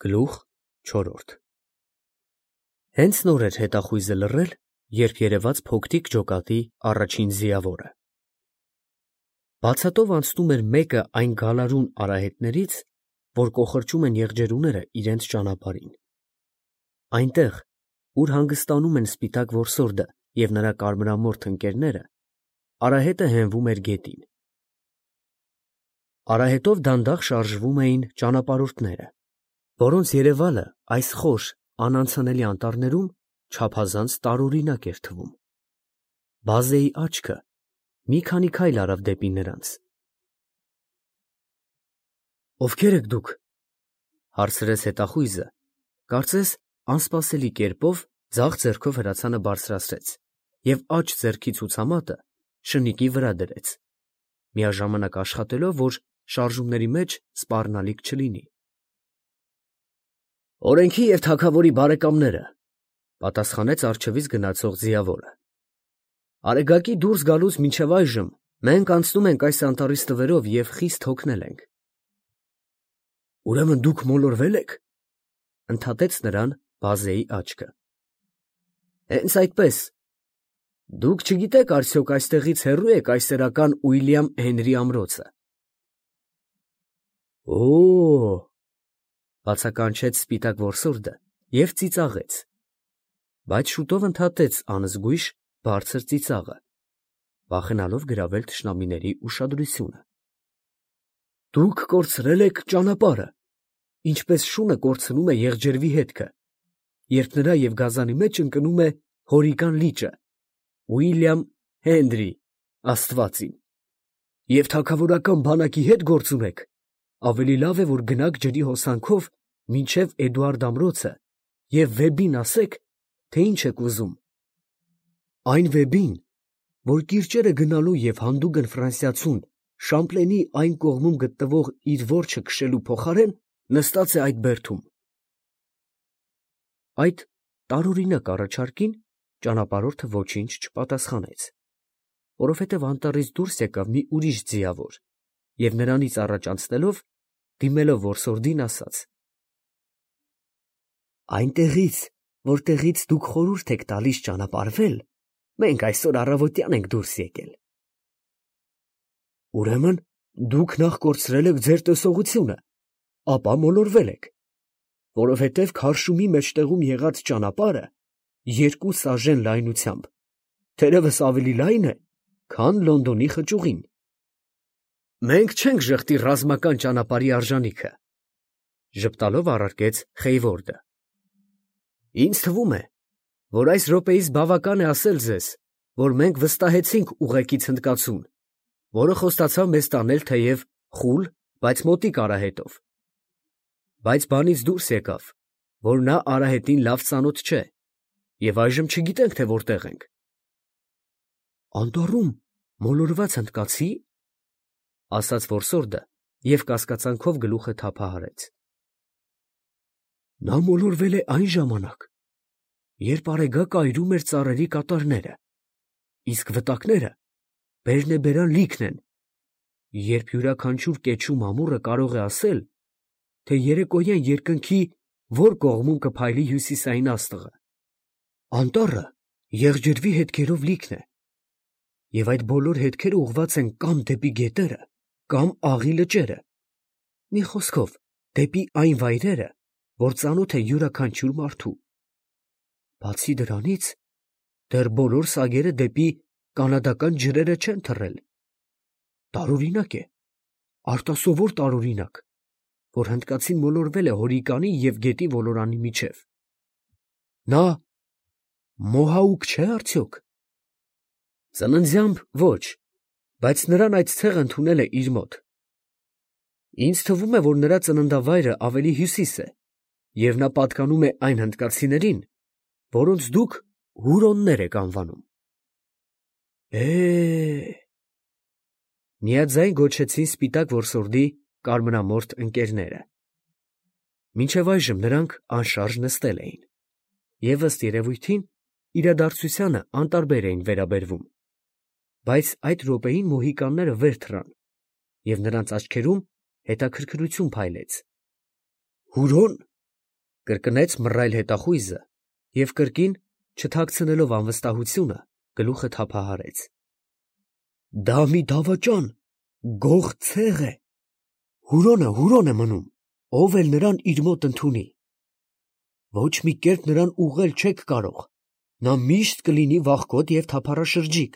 Գլուխ 4 Հենց նոր էր հետախույզը լռել, երբ երևաց փոքրիկ ջոկատի առաջին ձիավորը։ Բացատով անցնում էր մեկը այն գալարուն արահետներից, որ կոխրճում են եղջերուները իրենց ճանապարհին։ Այնտեղ, ուր հանգստանում են սպիտակ որսորդը և նրա կարմրամորթ ընկերները, արահետը հենվում էր գետին։ Արահետով դանդաղ շարժվում էին ճանապարհորդները, որոնց երևալը այս խոր, անանցանելի անտառներում չափազանց տարօրինակ էր թվում։ Բազեի աչքը մի քանի քայլ արավ դեպի նրանց։ «Ովքե՞ր եք դուք», հարցրեց հետախույզը, կարծես անսպասելի կերպով ձախ ձեռքով հրացանը բարձրացրեց և աջ ձեռքի ցուցամատը շնիկի վրա դրեց, միաժամանակ աշխատելով, որ շարժումների մեջ սպառնալիք չլինի։ «Օրենքի և թագավորի բարեկամները», պատասխանեց առջևից գնացող ձիավորը։ «Արեգակի դուրս գալուց մինչև այժմ մենք անցնում ենք այս անտառի ստվերով և խիստ հոգնել ենք»։ «Ուրեմն դուք մոլորվե՞լ եք», ընդհատեց նրան բազեի աչքը։ «Հենց այդպես։ Դուք չգիտեք արդյոք այստեղից հեռու է կայսերական Ուիլյամ Հենրի ամրոցը»։ «Օ՜օ», բացականչեց սպիտակ որսորդը և ծիծաղեց, բայց շուտով ընդհատեց անզգույշ բարձր ծիծաղը, վախենալով գրավել թշնամիների ուշադրությունը։ «Դուք կորցրել եք ճանապարհը, ինչպես շունը կորցնում է եղջերվի հետքը, երբ նրա և գազանի մեջ ընկնում է հորիկան լիճը, Ուիլյամ Հենրի, աստվածին, և թագավորական բանակի հետ գործ ունեք, ավելի լավ է, որ գնաք ջրի հոսանքով մինչև Էդուարդ ամրոցը և Վեբին ասեք, թե ինչ եք ուզում։ Այն Վեբին, որ կիրճերը գնալու և հանդուգն ֆրանսիացուն Շամպլենի այն կողմում գտնվող իր որջը քշելու փոխարեն նստած է այդ բերդում»։ Այդ տարօրինակ առաջարկին ճանապարհորդը ոչինչ չպատասխանեց, որովհետև անտառից դուրս եկավ մի ուրիշ ձիավոր և նրանից առաջ անցնելով, դիմելով որսորդին, ասաց. «Այնտեղից, որտեղից դուք խորհուրդ եք տալիս ճանապարհվել, մենք այսօր առավոտյան ենք դուրս եկել»։ «Ուրեմն դուք նախ կորցրել եք ձեր տեսողությունը, ապա մոլորվել եք, որովհետև քարշումի մեջտեղում եղած ճանապարհը 2 սաժեն լայնությամբ թերևս ավելի լայն է, քան Լոնդոնի խճուղին»։ «Մենք չենք ժխտի ռազմական ճանապարհի արժանիքը», ժպտալով առարկեց Խեյվորդը։ «Ինձ թվում է, որ այս րոպեիս բավական է ասել ձեզ, որ մենք վստահեցինք ուղեկից հնդկացուն, որը խոստացավ մեզ տանել թեև խուլ, բայց մոտիկ արահետով, բայց բանից դուրս եկավ, որ նա արահետին լավ ծանոթ չէ, և այժմ չգիտենք, թե որտեղ ենք»։ «Անտառում մոլորված հնդկացի՞, ասաց որսորդը և կասկածանքով գլուխը թափահարեց։ «Նա մոլորվել է այն ժամանակ, երբ Արեգակը այրում էր ծառերի կատարները, իսկ վտակները բերնեբերան լիքն են, երբ յուրաքանչյուր կեչու մամուռը կարող է ասել, թե երեկոյան երկնքի որ կողմում կփայլի հյուսիսային աստղը։ Անտառը եղջերվի հետքերով լիքն է, և այդ բոլոր հետքերը ուղղված են կամ դեպի գետերը, կամ աղի լճերը, մի խոսքով, դեպի այն վայրերը, որ ծանոթ է յուրաքանչյուր մարդու։ Բացի դրանից, դեռ բոլոր սագերը դեպի կանադական ջրերը չեն թռել։ Տարօրինակ է, արտասովոր տարօրինակ, որ հնդկացին մոլորվել է հորիկանի և գետի ոլորանի միջև։ Նա մոհաուկ չէ՞ արդյոք։ Ծննդյան ոչ, բայց նրան այդ ցեղը ընդունել է իր մոտ։ Ինձ թվում է, որ նրա ծննդավայրը ավելի հյուսիս է, և նա պատկանում է այն հնդկացիներին, որոնց դուք հուրոններ եք անվանում։ Միաձայն գոչեցին սպիտակ որսորդի կարմրամորթ ընկերները։ Մինչև այժմ նրանք անշարժ նստել էին և, ըստ երևույթին, իրադարձությանը անտարբեր էին վերաբերվում, բայց այդ րոպեին մոհիկանները վեր թռան, և նրանց աչքերում հետաքրքրություն փայլեց։ «Հուրո՞ն», կրկնեց մռայլ հետախույզը և կրկին, չթաքցնելով անվստահությունը, գլուխը թափահարեց. դա մի դավաճան, գող ցեղ է, հուրոն է մնում, ով էլ նրան իր մոտ ընդունի. ոչ մի կերպ նրան ուղղել չեք կարող, նա միշտ կլինի վախկոտ և թափառաշրջիկ,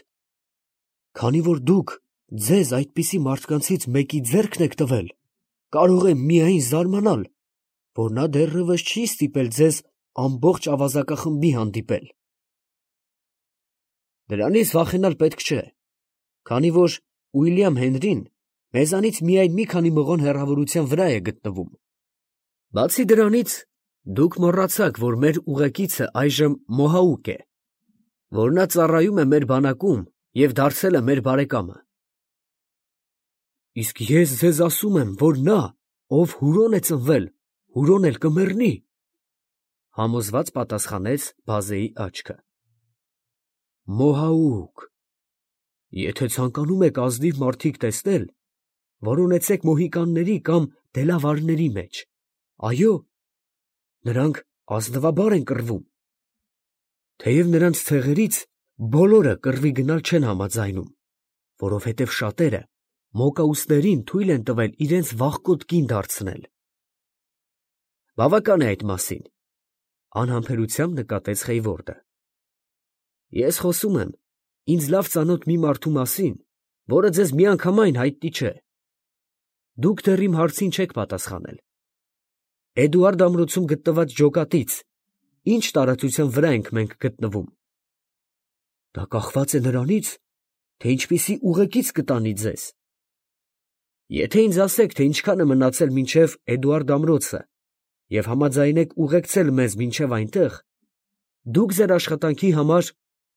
քանի որ դուք ձեզ այդպիսի մարդկանցից մեկի ձեռքն եք տվել, կարող եմ միայն զարմանալ, որ նա դեռևս չի ստիպել ձեզ ամբողջ ավազակախմբի հանդիպել։ Դրանից վախենալ պետք չէ, քանի որ Ուիլյամ Հենրին մեզանից միայն մի քանի մղոն հեռավորության վրա է գտնվում։ Բացի դրանից, դուք մոռացաք, որ մեր ուղեկիցը այժմ Մոհաուկ է, որ նա ծառայում է մեր բանակում և դարձել է մեր բարեկամը։ Իսկ ես ձեզ ասում եմ, որ նա, ով հուրոն է ծնվել, հուրոն էլ կմեռնի, համոզված պատասխանեց բազեի աչքը։ Մոհաուկ, եթե ցանկանում եք ազնիվ մարդիկ տեսնել, որոնեցեք մոհիկանների կամ դելավարների մեջ, այո, նրանք ազնվաբար են կռվում, թեև նրանց ցեղերից բոլորը կռվի գնալ չեն համաձայնում, որովհետև շատերը մոկաուսներին թույլ են տվել իրենց վախկոտ կին դարձնել։ Բավական է այդ մասին, անհամբերությամբ նկատեց Խեյվորդը։ Ես խոսում եմ ինձ լավ ծանոթ մի մարդու մասին, որը ձեզ միանգամայն հայտնի չէ։ Դուք դեռ իմ հարցին չեք պատասխանել։ Էդուարդ ամրոցում գտնված ջոկատից ինչ տարածության վրա ենք մենք գտնվում։ Դա կախված է նրանից, թե ինչպիսի ուղեկից կտանի ձեզ։ Եթե ինձ ասեք, թե ինչքան է մնացել մինչև Էդուարդ ամրոցը և համաձայնեք ուղեկցել մեզ մինչև այնտեղ, դուք ձեր աշխատանքի համար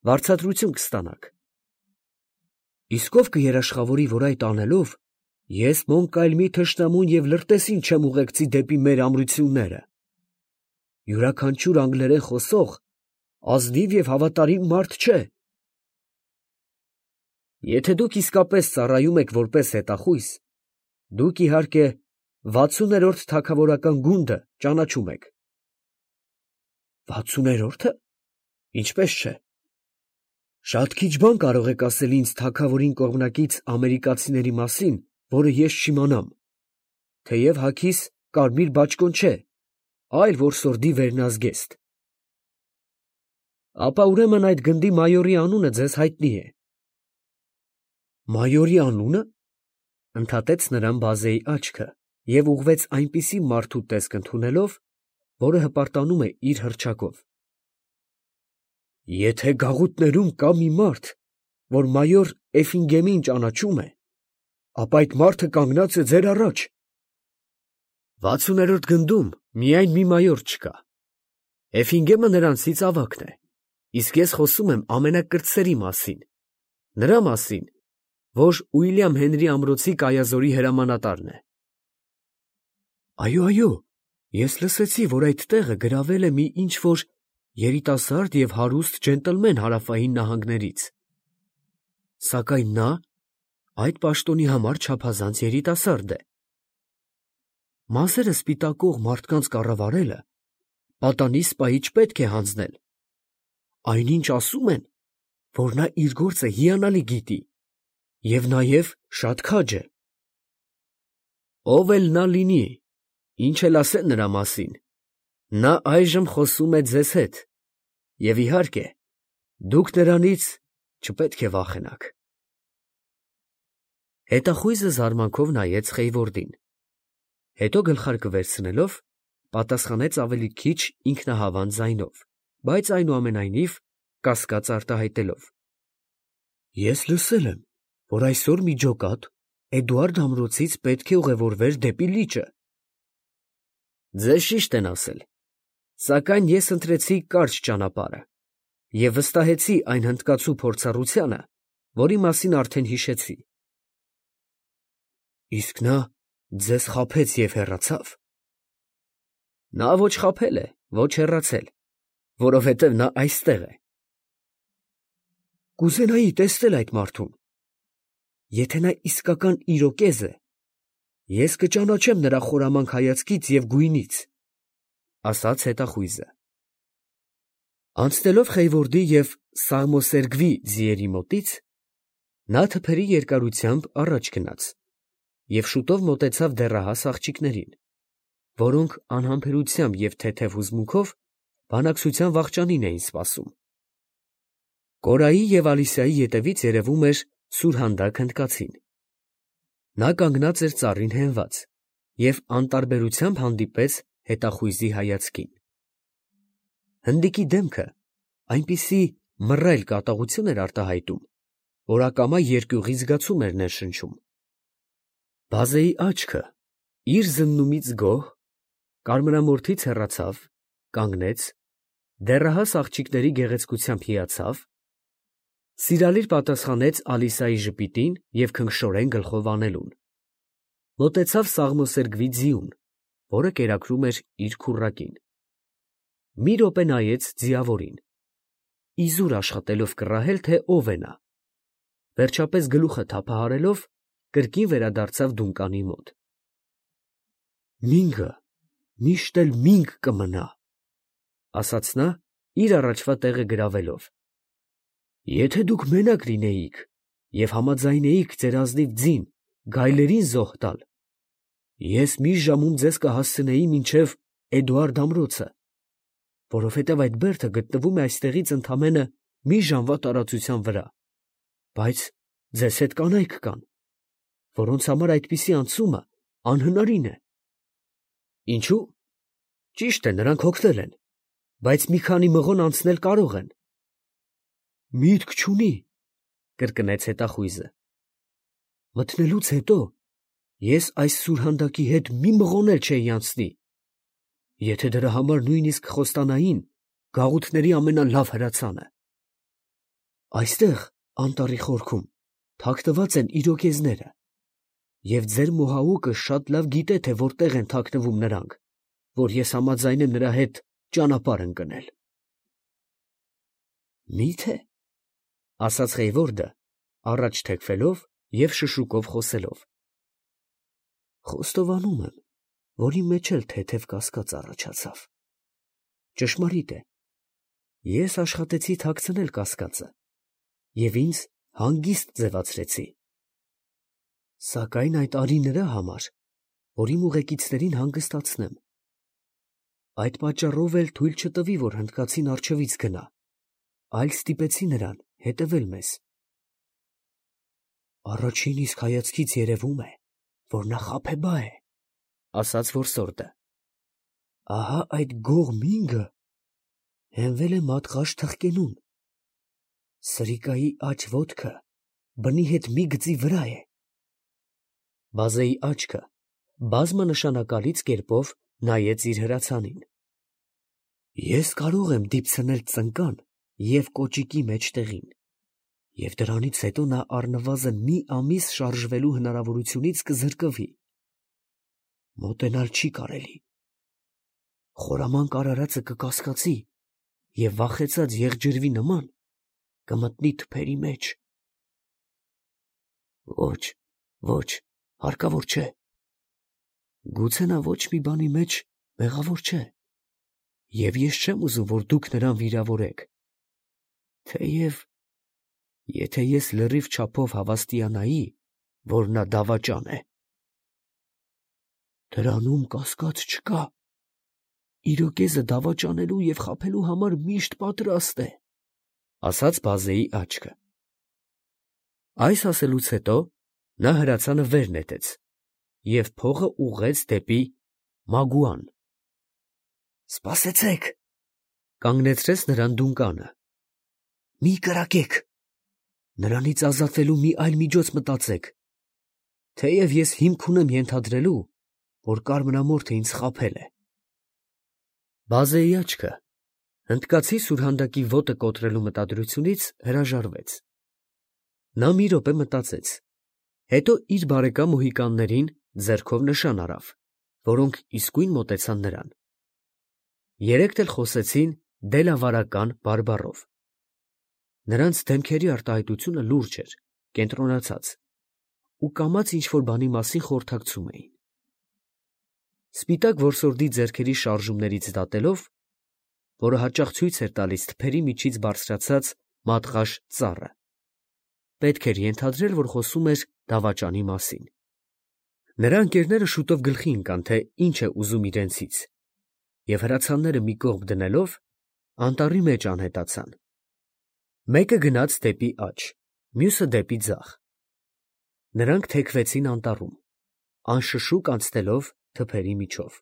վարձատրություն կստանաք։ Իսկ ով կերաշխավորի, որ այդ անելով, ես Մոնկայլմի թշնամուն և լրտեսին չեմ ուղեկցի դեպի մեր ամրությունները։ Յուրաքանչյուր անգլերեն խոսող ազնիվ և հավատարիմ մարդ չէ։ Եթե դուք իսկապես ծառայում եք որպես հետախույզ, դուք իհարկե 60-րդ թագավորական գունդը ճանաչում եք։ 60-րդը։ Ինչպես չէ։ Շատ քիչ բան կարող եք ասել ինձ թագավորին կողմնակից ամերիկացիների մասին, որը ես չիմանամ, թեև հագիս կարմիր բաճկոն չէ, այլ որսորդի վերնազգեստ։ Ապա ուրեմն այդ գնդի մայորի անունը ձեզ հայտնի է։ Մայորի անունը, ընդհատեց նրան բազեի աչքը և ուղղվեց այնպիսի մարդու տեսք ընդունելով, որը հպարտանում է իր հռչակով։ Եթե գաղութներում կա մի մարդ, որ մայոր Էֆինգեմին ճանաչում է, ապա այդ մարդը կանգնած է ձեր առաջ։ 60-րդ գնդում միայն մի մայոր չկա։ Էֆինգեմը նրանցից ավագն է, իսկ ես խոսում եմ ամենակրտսերի մասին, նրա մասին, որ Ուիլյամ Հենրի ամրոցի կայազորի հրամանատարն է։ Այո, ես լսեցի, որ այդ տեղը գրավել է մի ինչ-որ երիտասարդ և հարուստ ջենտլմեն հարավային նահանգներից, սակայն նա այդ պաշտոնի համար չափազանց երիտասարդ է։ Մազերը սպիտակող մարդկանց կառավարելը պատանի սպայի չպետք է հանձնել։ Այնինչ ասում են, որ նա իր գործը հիանալի գիտի և նաև շատ քաջ է։ Ով էլ նա լինի, ինչ էլ ասեն նրա մասին, նա այժմ խոսում է ձեզ հետ, և իհարկե, դուք նրանից չպետք է վախենաք։ Հետախույզը զարմանքով նայեց Խեյվորդին, հետո գլխարկը վերցնելով, պատասխանեց ավելի քիչ ինքնահավան ձայնով, բայց այնուամենայնիվ կասկած արտահայտելով. Ես լսել եմ, որ այսօր մի ջոկատ Էդուարդ ամրոցից պետք է ուղևորվեր դեպի լիճը։ Ձեզ ճիշտ են ասել, սակայն ես ընտրեցի կարճ ճանապարհը և վստահեցի այն հնդկացու փորձառությանը, որի մասին արդեն հիշեցի։ Իսկ նա ձեզ խաբեց և հեռացավ։ Նա ոչ խաբել է, ոչ հեռացել, որովհետև նա այստեղ է։ Կուզենայի տեսնել այդ մարդուն։ Եթե նա իսկական իրոկեզ է, ես կճանաչեմ նրա խորամանկ հայացքից և գույնից։ ասաց հետախույզը։ Անցնելով Խեյվորդի և Սաղմոսերգվի ձիերի մոտից, նա թփերի երկարությամբ առաջ գնաց և շուտով մոտեցավ դեռահաս աղջիկներին, որոնք անհամբերությամբ և թեթև հուզմունքով բանակցության վախճանին էին սպասում։ Կորայի և Ալիսայի ետևից երևում էր Սուրհանդակ հնդկացին։ Նա կանգնած էր ծառին հենված և անտարբերությամբ հանդիպեց հետախույզի հայացքին։ Հնդիկի դեմքը այնպիսի մռայլ կատաղություն էր արտահայտում, որ ակամա երկյուղի զգացում էր ներշնչում։ Բազեի աչքը իր զննումից գոհ կարմրամորթից հեռացավ, կանգնեց, դեռահաս աղջիկների գեղեցկությամբ հիացավ, սիրալիր պատասխանեց Ալիսայի ժպիտին և քնքշորեն գլխով անելուն, մոտեցավ Սաղմոսերգվի ձիուն, որը կերակրում էր իր քուռակին, մի րոպե նայեց ձիավորին, իզուր աշխատելով կռահել, թե ով է նա, վերջապես գլուխը թափահարելով, կրկին վերադարձավ դունկանի մոտ։ «Մինգը միշտ էլ մինգ կմնա», ասաց նա, իր առաջվա տեղը գրավելով։ «Եթե դուք մենակ լինեիք և համաձայնեիք ձեր ազնիվ ձին գայլերին զոհ տալ, ես մի ժամում ձեզ կհասցնեի մինչև Էդուարդ ամրոցը, որովհետև այդ բերդը գտնվում է այստեղից ընդամենը մի ժամվա տարածության վրա, բայց ձեզ հետ կանայք կան, որոնց համար այդպիսի անցումը անհնարին է։ Ինչո՞ւ։ Ճիշտ է, նրանք հոգնել են, բայց մի քանի մղոն անցնել կարող են։ Միտք չունի, կրկնեց հետախույզը։ Մտնելուց հետո ես այս Սուրհանդակի հետ մի մղոն էլ չէի անցնի, եթե դրա համար նույնիսկ խոստանային գաղութների ամենալավ հրացանը։ Այստեղ, անտառի խորքում, թաքնված են իրոկեզները, և ձեր մոհաուկը շատ լավ գիտե, թե որտեղ են թաքնվում նրանք, որ ես համաձայնեմ նրա հետ ճանապարհ ընկնել։ Մի՞թե, ասաց Խեյվորդը, առաջ թեքվելով և շշուկով խոսելով. խոստովանում եմ, որ իմ մեջ էլ թեթև կասկած առաջացավ։ Ճշմարիտ է, ես աշխատեցի թաքցնել կասկածը և ինձ հանգիստ ձևացրեցի։ Սակայն այդ արի նրա համար, որ իմ ուղեկիցներին հանգստացնեմ։ Այդ պատճառով էլ թույլ չտվի, որ հնդկացին առջևից գնա, այլ ստիպեցի նրան հետևել մեզ։ Առաջին իսկ հայացքից երևում է, որ նա խաբեբա է, ասաց որսորդը։ Ահա այդ գող մինգը հենվել է մատղաշ թխկենուն։ Սրիկայի աջ ոտքը բնի հետ մի գծի վրա է։ Բազեի աչքը բազմանշանակալից կերպով նայեց իր հրացանին։ Ես կարող եմ դիպցնել ծնկան և կոճիկի մեջտեղին, և դրանից հետո նա առնվազն մի ամիս շարժվելու հնարավորությունից կզրկվի։ Մոտենալ չի կարելի։ Խորամանկ արարածը կկասկածի և վախեցած եղջերվի նման կմտնի թփերի մեջ։ Ոչ, ոչ, հարկավոր չէ։ Գուցե նա ոչ մի բանի մեջ մեղավոր չէ, և ես չեմ ուզում, որ դուք նրան վիրավորեք, թեև եթե ես լրիվ չափով հավաստիանայի, որ նա դավաճան է։ Դրանում կասկած չկա։ Իրոկեզը դավաճանելու և խաբելու համար միշտ պատրաստ է, ասաց Բազեի աչքը։ Այս ասելուց հետո նա հրացանը վեր նետեց և փողը ուղղեց դեպի Մագուան։ Սպասեցեք, կանգնեցրեց նրան դունկանը։ Մի կրակեք, նրանից ազատվելու մի այլ միջոց մտածեք, թեև ես հիմք ունեմ ենթադրելու, որ կարմրամորթը ինձ խաբել է։ Բազեի աչքը հնդկացի Սուրհանդակի ոտը կոտրելու մտադրությունից հրաժարվեց։ Նա մի րոպե մտածեց, հետո իր բարեկամ մոհիկաններին ձեռքով նշան արավ, որոնք իսկույն մոտեցան նրան։ Երեքն էլ խոսեցին դելավարական բարբառով։ Նրանց դեմքերի արտահայտությունը լուրջ էր, կենտրոնացած, ու կամաց ինչ֊որ բանի մասին խորհրդակցում էին։ Սպիտակ որսորդի ձեռքերի շարժումներից դատելով, որը հաճախ ցույց էր տալիս թփերի միջից բարձրացած մատղաշ ծառը, պետք էր ենթադրել, որ խոսում էր դավաճանի մասին։ Նրա ընկերները շուտով գլխի ընկան, թե ինչ է ուզում իրենցից, և հրացանները մի կողմ դնելով, անտառի մեջ անհետացան։ Մեկը գնաց դեպի աջ, մյուսը դեպի ձախ։ Նրանք թեքվեցին անտառում, անշշուկ անցնելով թփերի միջով։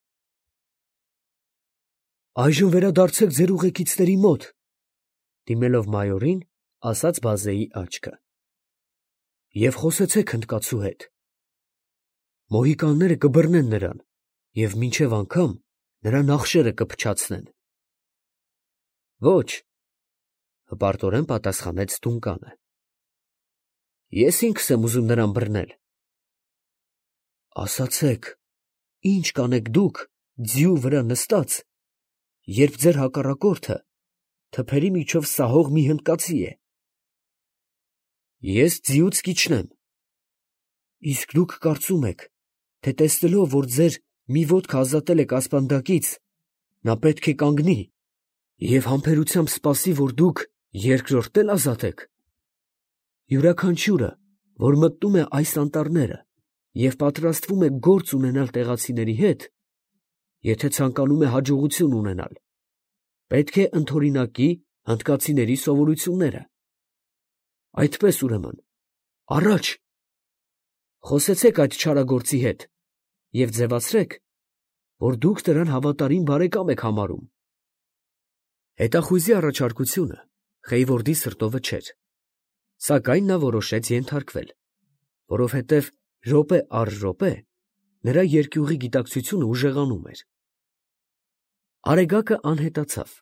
«Այժմ վերադարձեք ձեր ուղեկիցների մոտ», դիմելով մայորին, ասաց բազեի աչքը, «և խոսեցեք հնդկացու հետ։ Մոհիկանները կբռնեն նրան և մինչև անգամ նրա նախշերը կփչացնեն»։ «Ոչ», հպարտորեն պատասխանեց Դունկանը, «ես ինքս եմ ուզում նրան բռնել»։ «Ասացեք, ի՞նչ կանեք դուք ձիու վրա նստած, երբ ձեր հակառակորդը թփերի միջով սահող մի հնդկացի է»։ «Ես ձիուց կիջնեմ»։ «Իսկ դուք կարծում եք, թե տեսնելով, որ ձեր մի ոտքը ազատել եք ասպանդակից, նա պետք է կանգնի և համբերությամբ սպասի, որ դուք երկրորդն էլ ազատեք։ Յուրաքանչյուրը, որ մտնում է այս անտառները և պատրաստվում է գործ ունենալ տեղացիների հետ, եթե ցանկանում է հաջողություն ունենալ, պետք է ընդօրինակի հնդկացիների սովորությունները։ Այդպես ուրեմն, առաջ, խոսեցեք այդ չարագործի հետ և ձևացրեք, որ դուք նրան հավատարիմ բարեկամ եք համարում»։ Հետախույզի առաջարկությունը Խեյվորդի սրտովը չէր, սակայն նա որոշեց ենթարկվել, որովհետև րոպե առ րոպե նրա երկյուղի գիտակցությունը ուժեղանում էր։ Արեգակը անհետացավ,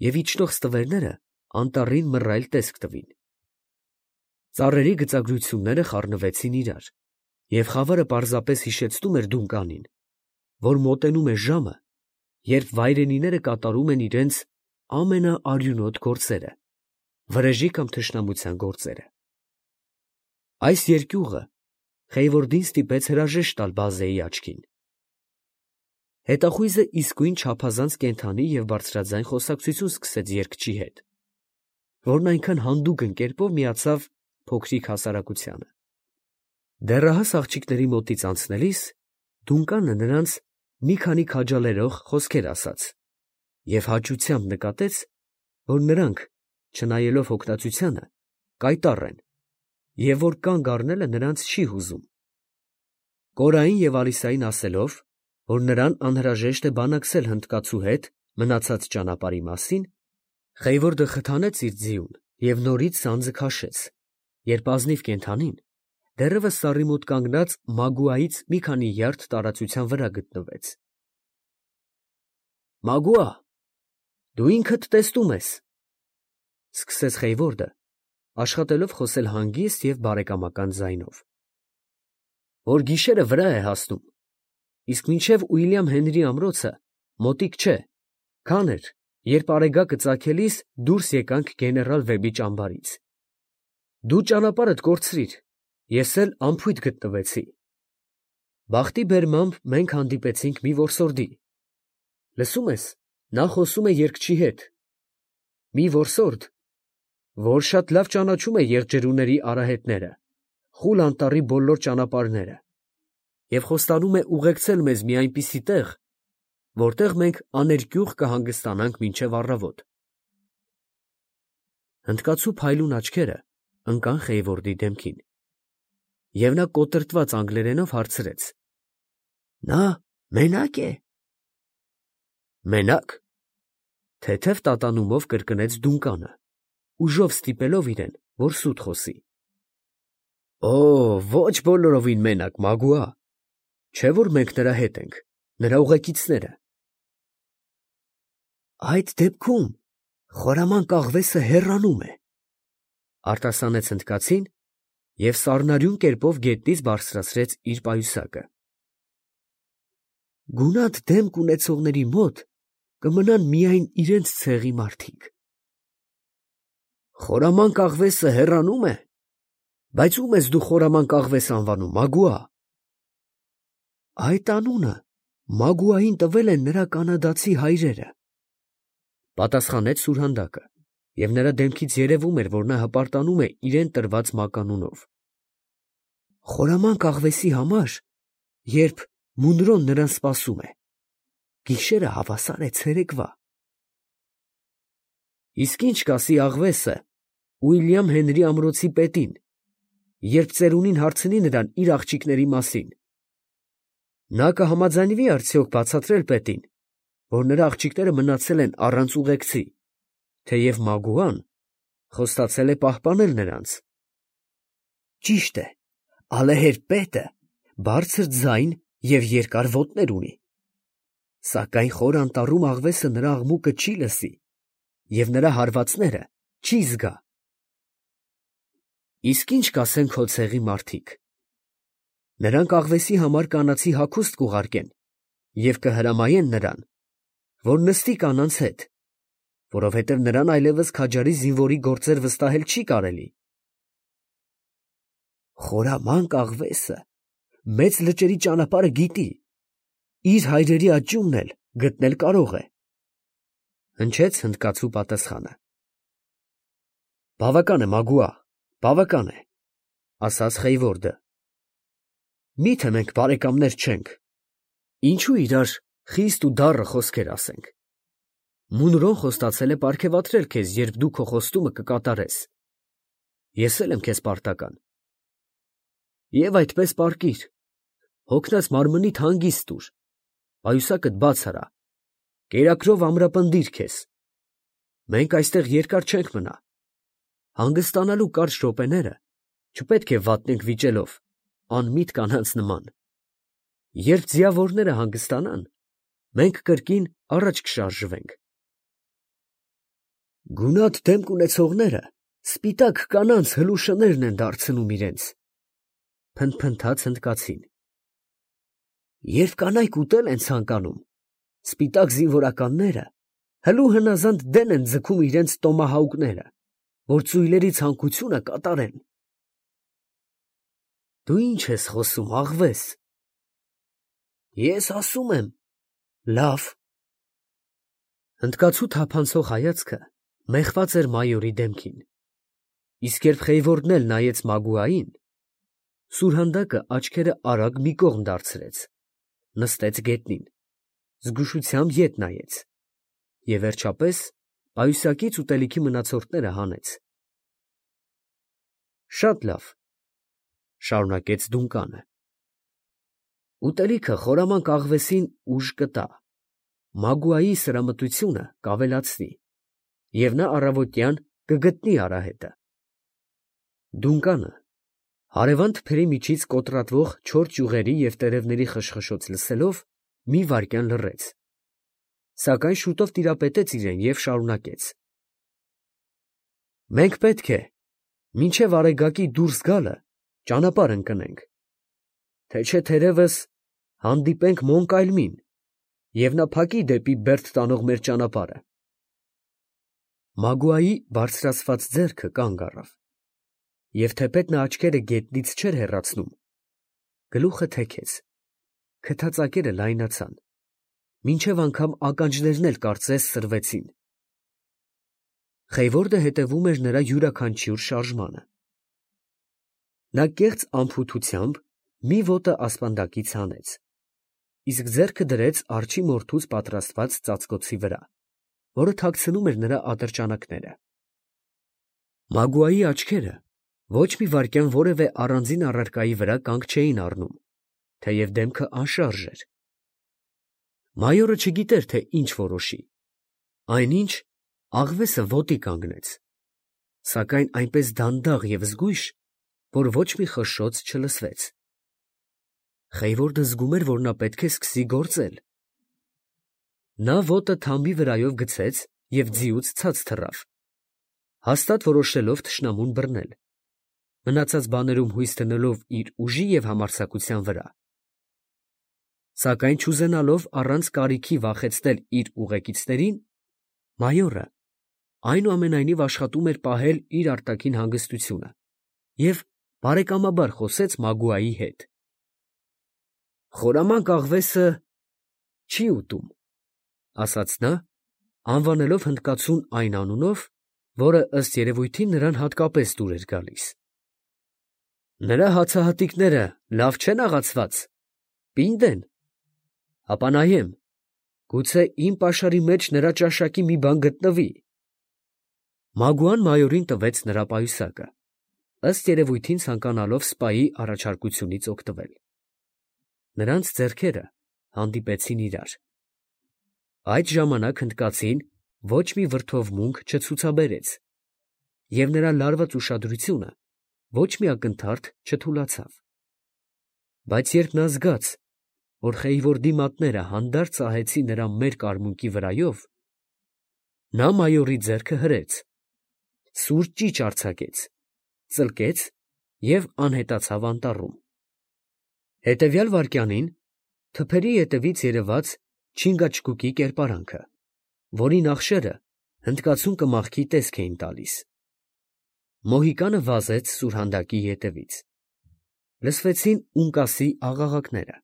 և իջնող ստվերները անտառին մռայլ տեսք տվին։ Ծառերի գծագրությունները խառնվեցին իրար, և խավարը պարզապես հիշեցնում էր Դունկանին, որ մոտենում է ժամը, երբ վայրենիները կատարում են իրենց ամենաարյունոտ գործերը, վրեժի կամ թշնամության գործերը։ Այս երկյուղը Խեյվորդին ստիպեց հրաժեշտ տալ բազեի աչքին։ Հետախույզը իսկույն չափազանց կենդանի և բարձրաձայն խոսակցություն սկսեց երգչի հետ, որն այնքան հանդուգն կերպով միացավ փոքրիկ հասարակությանը։ Դեռահաս աղջիկների մոտից անցնելիս Դունկանը նրանց մի քանի քաջալերող խոսքեր ասաց և հաճությամբ նկատեց, որ նրանք, չնայելով հոգնածությանը, կայտառ են, և որ կանգ առնելը նրանց չի հուզում։ Կորային և Ալիսային ասելով, որ նրան անհրաժեշտ է բանակցել հնդկացու հետ մնացած ճանապարհի մասին, Խեյվորդը խթանեց իր ձիուն և նորից սանձը քաշեց, երբ ազնիվ կենդանին դեռևս սառի մոտ կանգնած Մագուայից մի քանի յարդ տարածության վրա գտնվեց։ «Մագուա, դու ինքդ տեսնում ես», ֊ սկսեց Խեյվորդը, աշխատելով խոսել հանգիստ և բարեկամական ձայնով, «որ գիշերը վրա է հասնում, իսկ մինչև Ուիլյամ Հենրի ամրոցը մոտիկ չէ, քան էր, երբ արեգակը ծագելիս դուրս եկանք գեներալ Վեբի ճամբարից։ Դու ճանապարհդ կորցրիր, ես էլ անփույթ գտնվեցի։ Բախտի բերմամբ մենք հանդիպեցինք մի որսորդի, լսում ես, նա խոսում է երգչի հետ, մի որսորդ, որ շատ լավ ճանաչում է եղջերուների արահետները, Խուլ անտառի բոլոր ճանապարհները, և խոստանում է ուղեկցել մեզ մի այնպիսի տեղ, որտեղ մենք աներկյուղ կհանգստանանք մինչև առավոտ»։ Հնդկացու փայլուն աչքերը ընկան Խեյվորդի դեմքին, և նա կոտրտված անգլերենով հարցրեց. «Նա մենա՞կ է»։ «Մենա՞կ», թեթև տատանումով կրկնեց Դունկանը, ուժով ստիպելով իրեն, որ սուտ խոսի։ «Օ, ոչ բոլորովին մենակ, Մագուա, չէ՞ որ մենք նրա հետ ենք, նրա ուղեկիցները»։ «Այդ դեպքում խորամանկ աղվեսը հեռանում է», ֊ արտասանեց հնդկացին և սառնարյուն կերպով գետնից բարձրացրեց իր պայուսակը։ «Գունատ դեմք ունեցողների մոտ կմնան միայն իրենց ցեղի մարդիկ»։ «Խորամանկ աղվեսը հեռանում է, բայց ո՞ւմ ես դու խորամանկ աղվես անվանում, Մագուա»։ «Այդ անունը Մագուային տվել են նրա կանադացի հայրերը, պատասխանեց սուրհանդակը, և նրա դեմքից երևում էր, որ նա հպարտանում է իրեն տրված մականունով։ Խորամանկ աղվեսի համար, երբ Մունրոն նրան սպասում է, գիշերը հավասար է ցերեկվա։ Իսկ ինչ կասի աղվեսը Ուիլյամ Հենրի ամրոցի պետին, երբ ծերունին հարցնի նրան իր աղջիկների մասին։ Նա կհամաձայնվի արդյոք բացատրել պետին, որ նրա աղջիկները մնացել են առանց ուղեկցի, թեև Մագուան խոստացել է պահպանել նրանց։ Ճիշտ է, ալեհեր պետը բարձր ձայն և երկար ոտներ ունի, սակայն խոր անտառում աղվեսը նրա աղմուկը չի լսի և նրա հարվածները չի զգա։ Իսկ ինչ կասեն քո ցեղի մարդիկ։ Նրանք աղվեսի համար կանացի հագուստ կուղարկեն և կհրամայեն նրան, որ նստի կանանց հետ, որովհետև նրան այլևս քաջարի զինվորի գործեր վստահել չի կարելի։ Խորամանկ աղվեսը մեծ լճերի ճանապարհը գիտի, իր հայրերի աճյունն էլ գտնել կարող է, հնչեց հնդկացու պատասխանը։ Բավական է, Մագուա, բավական է, ասաց Խեյվորդը։ Միթե մենք բարեկամներ չենք, ինչու իրար խիստ ու դառը խոսքեր ասենք։ Մունրոն խոստացել է պարգևատրել քեզ, երբ դու քո խոստումը կկատարես։ Ես էլ եմ քեզ պարտական։ Եվ այդպես պառկիր, հոգնած մարմնիդ հանգիստ տուր, պայուսակդ բաց արա, կերակրով ամրապնդիր քեզ։ Մենք այստեղ երկար չենք մնա։ Հանգստանալու կարճ րոպեները չպետք է վատնենք վիճելով, անմիտ կանանց նման։ Երբ ձիավորները հանգստանան, մենք կրկին առաջ կշարժվենք։ Գունատ դեմք ունեցողները սպիտակ կանանց հլուշներն են դարձնում իրենց, փնթփնթաց հնդկացին։ Երբ կանայք ուտել են ցանկանում, սպիտակ զինվորականները հլու հնազանդ դեն են ձգում իրենց տոմահաուկները, որ ծույլերի ցանկությունը կատարեն։ Դու ի՞նչ ես խոսում, աղվես։ Ես ասում եմ, լավ։ Հնդկացու թափանցող հայացքը մեխված էր մայորի դեմքին, իսկ երբ Խեյվորդն էլ նայեց Մագուային, սուրհանդակը աչքերը արագ մի կողմ դարձրեց, նստեց գետնին, զգուշությամբ ետ նայեց և վերջապես պայուսակից ուտելիքի մնացորդները հանեց։ Շատ լավ, շարունակեց Դունկանը։ Ուտելիքը խորամանկ աղվեսին ուժ կտա, Մագուայի սրամտությունը կավելացնի, և նա առավոտյան կգտնի արահետը։ Դունկանը հարևան թփերի միջից կոտրատվող չոր ճյուղերի և տերևների խշխշոց լսելով, մի վայրկյան լռեց, սակայն շուտով տիրապետեց իրեն և շարունակեց. Մենք պետք է մինչև Արեգակի դուրս գալը ճանապարհ ընկնենք, թե չէ թերևս հանդիպենք Մոնկայլմին, և նա փակի դեպի Բերդ տանող մեր ճանապարհը։ Մագուայի բարձրացված ձեռքը կանգ առավ, և թեպետ նա աչքերը գետնից չէր հեռացնում, գլուխը թեքեց, քթածակերը լայնացան, մինչև անգամ ականջներն էլ կարծես սրվեցին։ Խեյվորդը հետևում էր նրա յուրաքանչյուր շարժմանը։ Նա կեղծ անփութությամբ մի ոտը ասպանդակից հանեց, իսկ ձեռքը դրեց արջի մորթուց պատրաստված ծածկոցի վրա, որը թաքցնում էր նրա ատրճանակները։ Մագուայի աչքերը ոչ մի վայրկյան որևէ առանձին առարկայի վրա կանգ չէին առնում, թեև դեմքը անշարժ էր։ Մայորը չգիտեր, թե ինչ որոշի, այնինչ աղվեսը ոտի կանգնեց, սակայն այնպես դանդաղ և զգույշ, որ ոչ մի խշշոց չլսվեց։ Խեյվորդը զգում էր, որ նա պետք է սկսի գործել։ Նա ոտը թամբի վրայով գցեց և ձիուց ցած թռավ, հաստատ որոշելով թշնամուն բռնել, մնացած բաներում հույս դնելով իր ուժի և համարձակության վրա։ Սակայն չուզենալով առանց կարիքի վախեցնել իր ուղեկիցներին, մայորը այնուամենայնիվ աշխատում էր պահել իր արտաքին հանգստությունը և բարեկամաբար խոսեց Մագուայի հետ։ Խորամանկ աղվեսը չի ուտում, ասաց նա, անվանելով հնդկացուն այն անունով, որը ըստ երևույթին նրան հատկապես դուր էր գալիս։ Նրա հացահատիկները լավ չեն աղացված, պինդ են, ապա նայեմ, գուցե իմ պաշարի մեջ նրա ճաշակի մի բան գտնվի։ Մագուան մայորին տվեց նրա պայուսակը, ըստ երևույթին ցանկանալով սպայի առաջարկությունից օգտվել։ Նրանց ձեռքերը հանդիպեցին իրար։ Այդ ժամանակ հնդկացին ոչ մի վրդովմունք չցուցաբերեց, և նրա լարված ուշադրությունը ոչ մի ակնթարթ չթուլացավ։ Բայց երբ նա զգաց, որ Խեյվորդի մատները հանդարտ սահեցին նրա մերկ արմունկի վրայով, նա մայորի ձեռքը հրեց, սուր ճիչ արձակեց, ծլկեց և անհետացավ անտառում։ Հետևյալ վայրկյանին թփերի ետևից երևաց չինգաչգուկի կերպարանքը, որի նախշերը հնդկացուն կմախքի տեսք էին տալիս։ Մոհիկանը վազեց սուրհանդակի ետևից։ Լսվեցին ունկասի աղաղակները։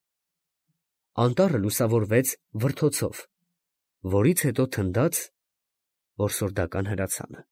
Անտառը լուսավորվեց վրդոցով, որից հետո թնդաց որսորդական հրացանը։